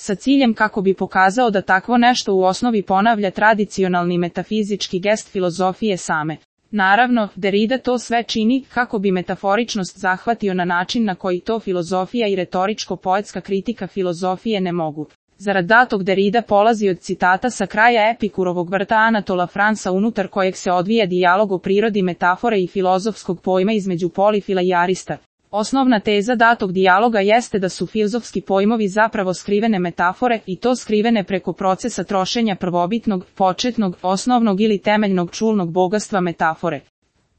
sa ciljem kako bi pokazao da takvo nešto u osnovi ponavlja tradicionalni metafizički gest filozofije same. Naravno, Derrida to sve čini kako bi metaforičnost zahvatio na način na koji to filozofija i retoričko-poetska kritika filozofije ne mogu. Zarad datog Derrida polazi od citata sa kraja Epikurovog vrta Anatola Fransa unutar kojeg se odvija dijalog o prirodi metafore i filozofskog pojma između Polifila i Arista. Osnovna teza datog dijaloga jeste da su filozofski pojmovi zapravo skrivene metafore i to skrivene preko procesa trošenja prvobitnog, početnog, osnovnog ili temeljnog čulnog bogatstva metafore.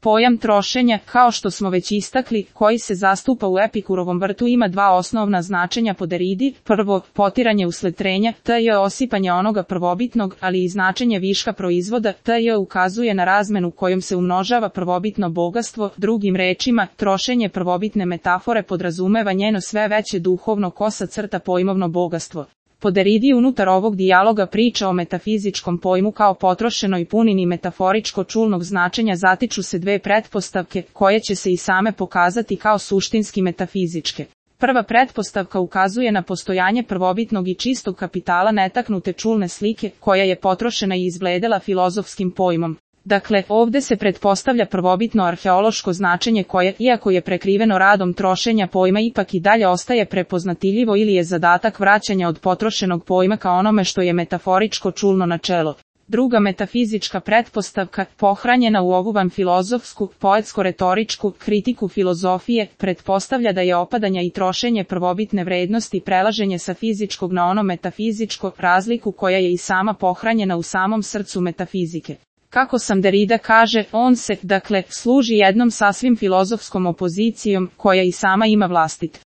Pojam trošenja, kao što smo već istakli, koji se zastupa u Epikurovom vrtu ima dva osnovna značenja po Derridi. Prvo, potiranje usled trenja, tj. osipanje onoga prvobitnog, ali i značenje viška proizvoda, tj. ukazuje na razmenu kojom se umnožava prvobitno bogatstvo. Drugim rečima, trošenje prvobitne metafore podrazumeva njeno sve veće duhovno kosa crta pojmovno bogatstvo. Po Derridi unutar ovog dijaloga priča o metafizičkom pojmu kao potrošenoj punini metaforičko-čulnog značenja zatiču se dve pretpostavke, koje će se i same pokazati kao suštinski metafizičke. Prva pretpostavka ukazuje na postojanje prvobitnog i čistog kapitala netaknute čulne slike, koja je potrošena i izbledela filozofskim pojmom. Dakle, ovde se pretpostavlja prvobitno arheološko značenje koje, iako je prekriveno radom trošenja pojma, ipak i dalje ostaje prepoznatljivo ili je zadatak vraćanja od potrošenog pojma ka onome što je metaforičko čulno načelo. Druga metafizička pretpostavka, pohranjena u ovu vanfilozofsku, poetsko-retoričku kritiku filozofije, pretpostavlja da je opadanja i trošenje prvobitne vrednosti prelaženje sa fizičkog na ono metafizičko, razliku koja je i sama pohranjena u samom srcu metafizike. Kako sam Derrida kaže, on se, dakle, služi jednom sasvim filozofskom opozicijom, koja i sama ima vlastit